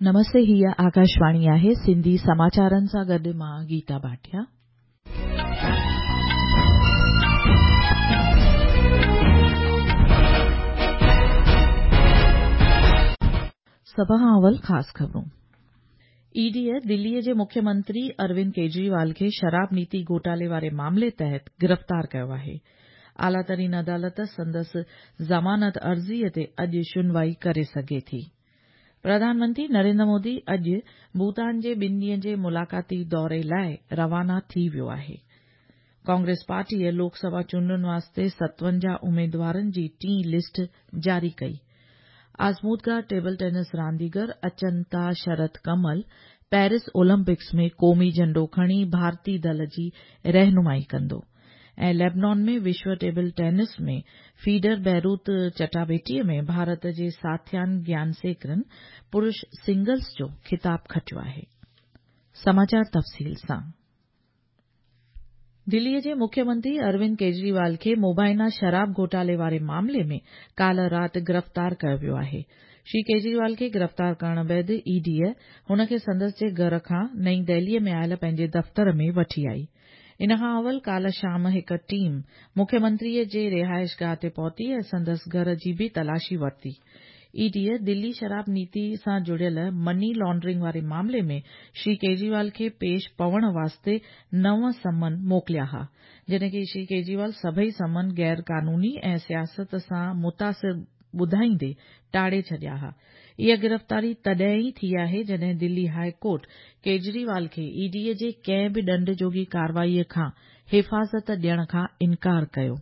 نمستي هيء آڪاشواڻي آهي سنڌي سماچارن سان گڏ مان گيتا ڀاٽيا. سڀ کان اول خاص خبرون. اي ڊي دلي جي مکيه منتري اروند ڪيجريوال کي شراب نيتي گهوٽالي واري معاملي تحت گرفتار ڪيو آهي. اعليٰ ترين عدالت سندس ضمانت عرضي تي اڄ شنوائي ڪري سگهي ٿي. پرڌان منتري نريندر مودي اڄ ڀوتان جي ٻن ڏينهن جي ملاقاتي دوري لاء روانا ٿي ويو آهي. ڪانگريس پارٽيء لوڪ سڀا چونڊن واسطي 57 اميدوارن جي ٽين لسٽ جاري ڪئي. آزمودگار ٽيبل ٽينس رانديگر اچنتا شرت ڪمل پيرس اولمپڪس ۾ قومي جهنڊو کڻي ڀارتي دل جي رهنمائي ڪندو. ۽ ليبنان ۾ وشو ٽيبل ٽينس ۾ فيڊر بيروت چٽاڀيٽيء ۾ ڀارت جي ساٿيان گيانسيڪرن پرش سنگلز جو خطاب کٽيو آهي. سماچار تفصيل سان دليء جي مکيه منتري اروند ڪيجريوال کي مبينا شراب گهوٽالي واري معاملي ۾ ڪالهه رات گرفتار ڪيو ويو آهي. شري ڪيجريوال کي گرفتار ڪرڻ بعد اي ڊيء هن کي سندس جي گهر کان نئين دهليء ۾ آيل پنهنجي دفتر ۾ وٺي آئي. ان کان اول ڪالهه شام هڪ ٽيم مکيه منتريء جي رهائشگاهه تي پهتي ۽ سندس گهر جي به تلاشي ورتي. اي ڊيء دلي شراب نيتي سان جڙيل مني لانڊرنگ واري معاملي ۾ شري ڪيجريوال کي پيش پوڻ واسطي نو سمن موڪليا ها، جڏهن ڪي شري ڪيجريوال سڀئي سمن غير قانوني ۽ سياست سان متاثر ٻڌائيندي ٽاڙي ڇڏيا ها. اها گرفتاري تڏهن ئي ٿي آهي جڏهن دلي هاء ڪورٽ ڪيجريوال کي اي ڊي جي ڪنهن به ڏنڊ جوڳي ڪارروائي کان حفاظت ڏيڻ کان انڪار ڪيو.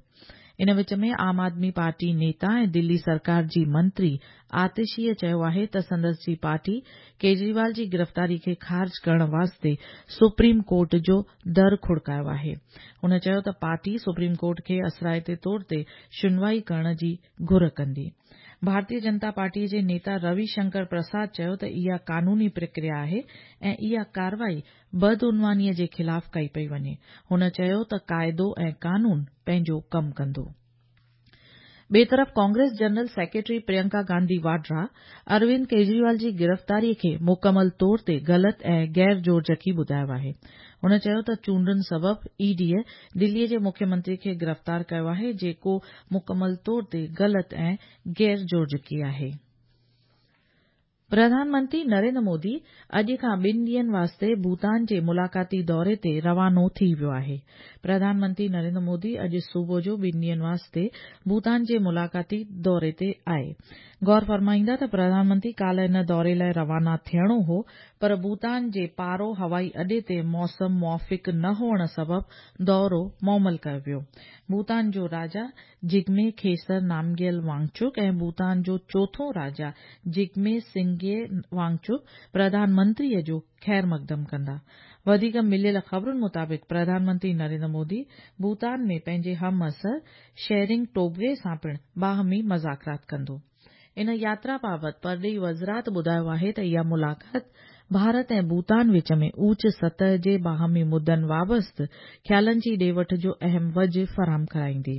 ان وچ ۾ عام آدمي پارٽي نيتا ۽ دلي سرڪار جي منتري آتشيء چيو آهي ته سندس جي پارٽي ڪيجريوال جي گرفتاري کي خارج ڪرڻ واسطي سپريم ڪورٽ جو در کڙڪايو آهي. هن چيو ته پارٽي سپريم ڪورٽ کي اثرائتي طور تي شنوائي ڪرڻ جي گهر ڪندي. ڀارتيه جنتا پارٽيء جي نيتا روي شنڪر پرساد چيو ته اها قانوني پرڪريا آهي ۽ اها ڪارروائي بدعنوانيء جي خلاف ڪئي پئي وڃي. هن چيو ته قاعدو ۽ قانون پنهنجو ڪم ڪندو. ٻئي طرف ڪانگريس جنرل سيڪريٽري پريانڪا گانڌي واڊرا اروند ڪيجريوال جي گرفتاري کي مڪمل طور تي غلط ۽ غير جوڙجڪي ٻڌايو آهي. هن چيو ته چونڊن سبب اي ڊيء دلي جي مکيه منتري کي گرفتار ڪيو آهي جيڪو مڪمل طور تي غلط ۽ غير جوڙجڪي آهي. پرڌان منتري نريندر مودي اڄ کان ٻن ڏينهن واسطي ڀوتان جي ملاقاتي دوري تي روانو ٿي ويو آهي. پرڌان منتري نريندر مودي اڄ صبح جو ٻن ڏينهن واسطي ڀوتان جي ملاقاتي دوري تي آهي. غور فرمائيندا ته پرڌان منتري ڪالهه ان دوري لاء روانا ٿيڻو هو پر ڀوتان جي پارو هوائي اڏي تي موسم موافق نه هئڻ سبب دورو مومل ڪيو ويو. ڀوتان جو راجا جگمي کيسر نامگيل وانگچڪ ۽ ڀوتان جو چوٿون راجا جگمي سنگي وانگچڪ پرڌان منتريء جو خير مقدم ڪندا. وڌيڪ مليل خبرن مطابق پرڌان منتري نريندر مودي ڀوتان ۾ پنهنجي همعصر شيرنگ ٽوبگي سان پڻ باهمي مذاڪرات ڪندو. ان ياترا بابت پرڏيهي وزارت ٻڌايو آهي ته اها ملاقات ڀارت ۽ ڀوتان وچ ۾ اوچ سطح جي باهمي مدن وابسته خيالن جي ڏي وٺ جو اهم وجهه فراهم ڪرائيندي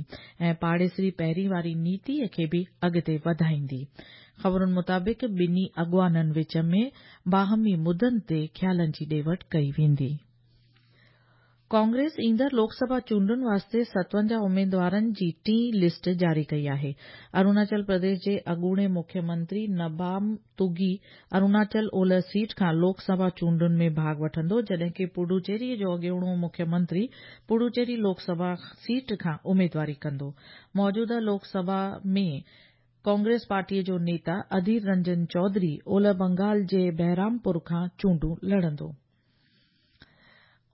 ۽ پاڙيسري پهرين واري نيتي کي به اڳتي وڌائيندي. خبرن مطابق ٻنهي اڳواڻن وچ ۾ باهمي مدن تي خيالن جي ڏي وٺ ڪئي ويندي. ڪانگريس ايندڙ لوڪ سڀا چونڊن واسطي 57 اميدوارن جي ٽين لسٽ جاري ڪئي آهي. اروناچل پرديش جي اڳوڻي مکيه منتري نبام تگي اروناچل اولهه سيٽ کان لوڪ سڀا چونڊن ۾ ڀاڳ وٺندو جڏهن ڪي پڊوچيري جو اڳوڻو مکيه منتري پڊوچيري لوڪ سڀا سيٽ کان اميدواري ڪندو. موجوده لوڪ سڀا ۾ ڪانگريس پارٽيء جو نيتا اڌير رنجن چوڌري اولهه بنگال جي بهرامپور کان چونڊون لڙندو.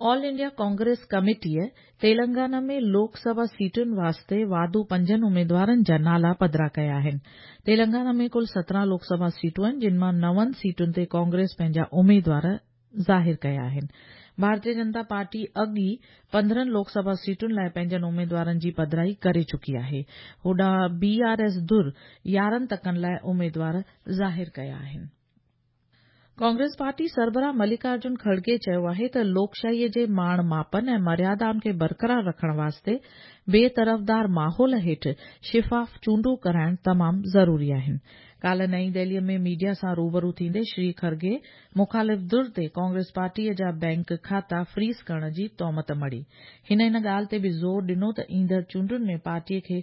آل انڊيا ڪانگريس ڪميٽيء تيلنگانا ۾ لوڪ سڀا سيٽن واسطي واڌو پنجن اميدوارن جا نالا پڌرا ڪيا آهن. تيلنگانا ۾ ڪل 17 لوڪ سڀا سيٽون آهن جن مان نون سيٽن تي ڪانگريس پنهنجا اميدوار ظاهر ڪيا آهن. ڀارتيه جنتا پارٽي اڳ ئي 15 لوڪ سڀا سيٽن لاء پنهنجن اميدوارن جي پڌرائي ڪري چڪي آهي. هوڏانهن بي آر ايس ڌر 11 تڪن لاء اميدوار ظاهر ڪيا آهن. ڪانگريس پارٽي سربراهه ملڪا ارجن کڙگي چيو آهي ته لوڪشاهيء جي ماڻ ماپن ۽ مريادائن کي برقرار رکڻ واسطي بي طرفدار ماحول هيٺ شفاف چونڊون ڪرائڻ تمام ضروري آهن. ڪالهه نئين دهليء ۾ ميڊيا سان روبرو ٿيندي شري کرگي مخالف ڌر تي ڪانگريس پارٽيء جا بئنڪ کاتا فريز ڪرڻ جي تهمت مڙهي. هن ان ڳالهه تي به زور ڏنو ته ايندڙ چونڊن ۾ پارٽيء کي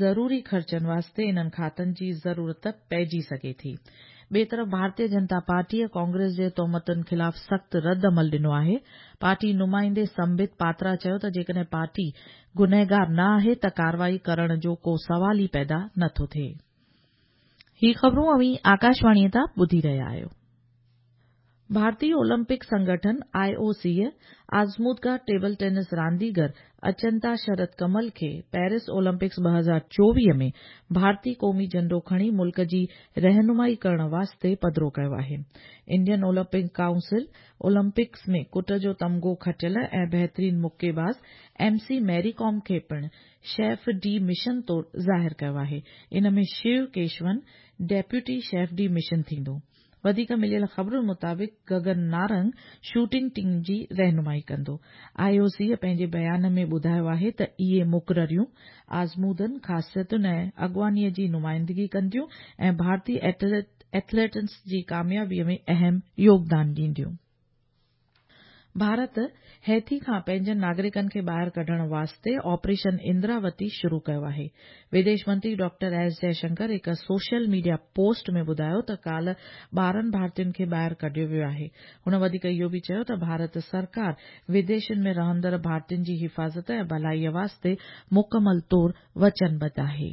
ضروري خرچن واسطي انهن کاتن جي ضرورت پئجي سگهي ٿي. ٻئي طرف ڀارتيه جنتا پارٽيء ڪانگريس جي تهمتن خلاف سخت رد عمل ڏنو آهي. پارٽي نمائندي سمبت پاترا چيو ته جيڪڏهن پارٽي گنهگار نه آهي ته ڪارروائي ڪرڻ جو ڪو سوال ئي پيدا نه ٿو ٿئي. هي خبرون اوهين آڪاشواڻيء تان ٻڌي رهيا آهيو. ڀارتي اولمپڪ سنگٺن، آء او سيء، آزمودگار ٽيبل ٽينس رانديگر اچنتا شرت ڪمل کي پيرس اولمپڪس 2024 ۾ ڀارتي قومي جهنڊو کڻي ملڪ جي رهنمائي ڪرڻ واسطي پڌرو ڪيو آهي. انڊين اولمپڪ ڪائونسل اولمپڪس ۾ ڪٽ جو تمغو کٽيل ۽ بهترين مڪي باز ايم سي ميري ڪوم کي پڻ شيف ڊي مشن طور ظاهر ڪيو آهي. ان ۾ Shiv Keshavan deputy chef de mission ٿيندو. وڌيڪ مليل خبرن مطابق گگن نارنگ شوٽنگ ٽيم جي رهنمائي ڪندو. آء او سيء پنهنجي بيان ۾ ٻڌايو آهي ته اهي مقرريون آزمودن، خاصيتن ۽ اڳواڻيء جي نمائندگي ڪنديون ۽ ڀارتي ايٿليٽس جي ڪاميابيء ۾ اهم يوگدان ڏينديون. ڀارت هيتي کان پنهنجن ناگرڪن کي ٻاهر ڪڍڻ واسطي آپريشن اندراوتي شروع ڪيو آهي. وديش منتري ڊاڪٽر ايس جئشنڪر هڪ سوشل ميڊيا پوسٽ ۾ ٻڌايو ته ڪالهه 12 ڀارتين کي ٻاهر ڪڍيو ويو آهي. هن وڌيڪ اهو به چيو ته ڀارت سرڪار وديشن ۾ رهندڙ ڀارتين جي حفاظت ۽ ڀلائي واسطي مڪمل طور وچنبڌ آهي.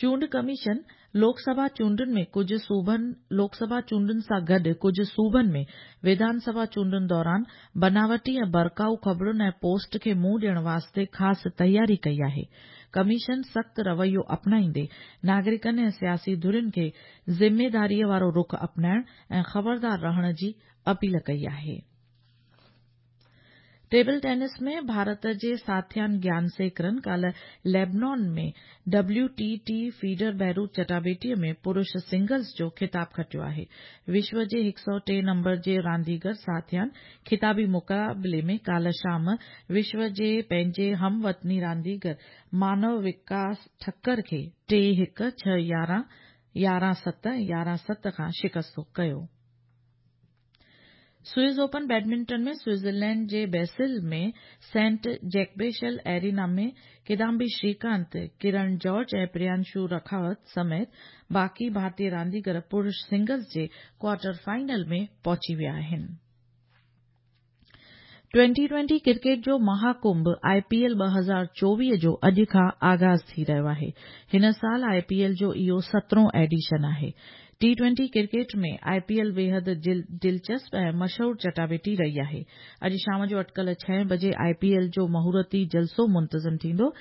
چونڊ ڪميشن لوڪ سڀا چونڊن ۾ ڪجهه صوبن لوڪ سڀا چونڊن سان گڏ ڪجهه صوبن ۾ وڌان سڀا چونڊن دوران بناوٽي ۽ ڀڙڪائو خبرن ۽ پوسٽ کي منهن ڏيڻ واسطي خاص تياري ڪئي آهي. ڪميشن سخت رويو اپنائيندي ناگرڪن ۽ سياسي ڌرين کي ذميداريء وارو رخ اپنائڻ ۽ خبردار رهڻ جي اپيل ڪئي آهي. ٽيبل ٽينس ۾ ڀارت جي ساٿيان گيان سيڪرن ڪالهه ليبنان ۾ W T T feeder Beirut چٽاڀيٽي ۾ پرش سنگلز جو خطاب کٽيو آهي. وشو جي 103 نمبر جي رانديگر ساٿيان خطابي مقابلي ۾ ڪالهه شام وشو جي پنهنجي هم وطني رانديگر مانو وڪاس ٺڪر کي 3 1، 6 11، 11 7 ۽ 11 7 کان شڪستو ڪيو. سوئس اوپن بيڊمنٽن ۾ سوئٽزرلينڊ جي Basel ۾ Saint Jakobshalle arena ۾ Kidambi Srikanth, Kiran George ۽ Priyanshu Rajawat سميت باقي ڀارتي رانديگر پرش سنگلز جي ڪوارٽر فائنل ۾ پهچي ويا آهن. ٽوئنٽي ٽوئنٽي ڪرڪيٽ جو مها ڪنڀ آء پي ايل 2024 جو اڄ کان آغاز ٿي رهيو آهي. هن سال آء پي ايل جو اهو سترهون ايڊيشن آهي. ٽي ٽوئنٽي ڪرڪيٽ ۾ آء پي ايل بيحد دلچسپ ۽ مشهور چٽاڀيٽي رهي آهي. اڄ شام جو اٽڪل ڇهين بجي آء پي ايل جو مهورتي جلسو منتظم ٿيندو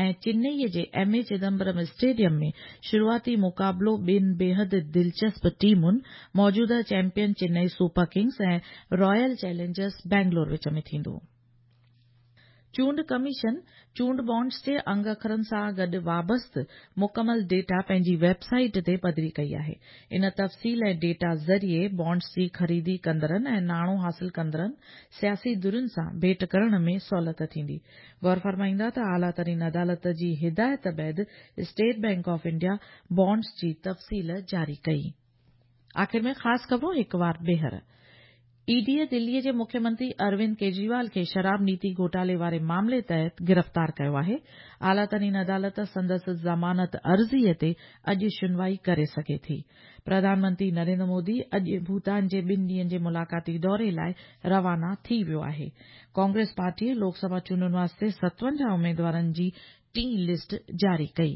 ۽ چنئي جي ايم اي چدمبرم اسٽيڊيم ۾ شروعاتي مقابلو ٻن بيحد دلچسپ ٽيمن موجوده champion Chennai super kings ۽ royal challengers Bangalore وچ ۾ ٿيندو. چونڊ ڪميشن چونڊ بانڊز جي انگ اکرن سان گڏ وابسته مڪمل ڊيٽا پنهنجي ويب سائيٽ تي پڌري ڪئي آهي. ان تفصيل ۽ ڊيٽا ذريعي بانڊز جي خريدي ڪندڙن ۽ ناڻو حاصل ڪندڙن سياسي ڌرين سان ڀيٽ ڪرڻ ۾ سهولت ٿيندي. غور فرمائيندا ته اعليٰ ترين عدالت جي هدايت بعد state bank of India bonds جي تفصيل جاري ڪئي. آخر ۾ خاص خبرون هڪ وار ٻيهر. اي ڊيء دلي جي مکيه منتري اروند ڪيجريوال کي شراب نيتي گهوٽالي واري معاملي تحت گرفتار ڪيو آهي. اعليٰ ترين عدالت سندس ضمانت عرضي تي اڄ شنوائي ڪري سگهي ٿي. پرڌان منتري نريندر مودي اڄ ڀوتان جي ٻن ڏينهن جي ملاقاتي دوري لاء روانا ٿي ويو آهي. ڪانگريس پارٽيء لوڪ سڀا چونڊن واسطي 57 اميدوارن جي ٽين لسٽ جاري ڪئي.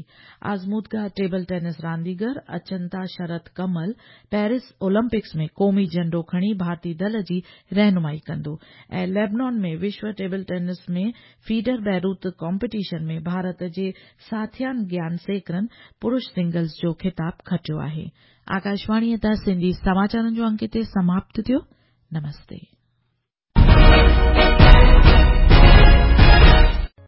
آزمودگاهه ٽيبل ٽينس رانديگر اچنتا شرت ڪمل پيرس اولمپڪس ۾ قومي جهنڊو کڻي ڀارتي دل جي رهنمائي ڪندو ۽ ليبنان ۾ وشو table tennis ۾ feeder Beirut competition ۾ Bharat جي ساٿيان گيان سيڪرن پرش سنگلز جو خطاب کٽيو آهي. آڪاشواڻيء تان سنڌي سماچارن جو انڪ هتي سماپت ٿيو. نمستي.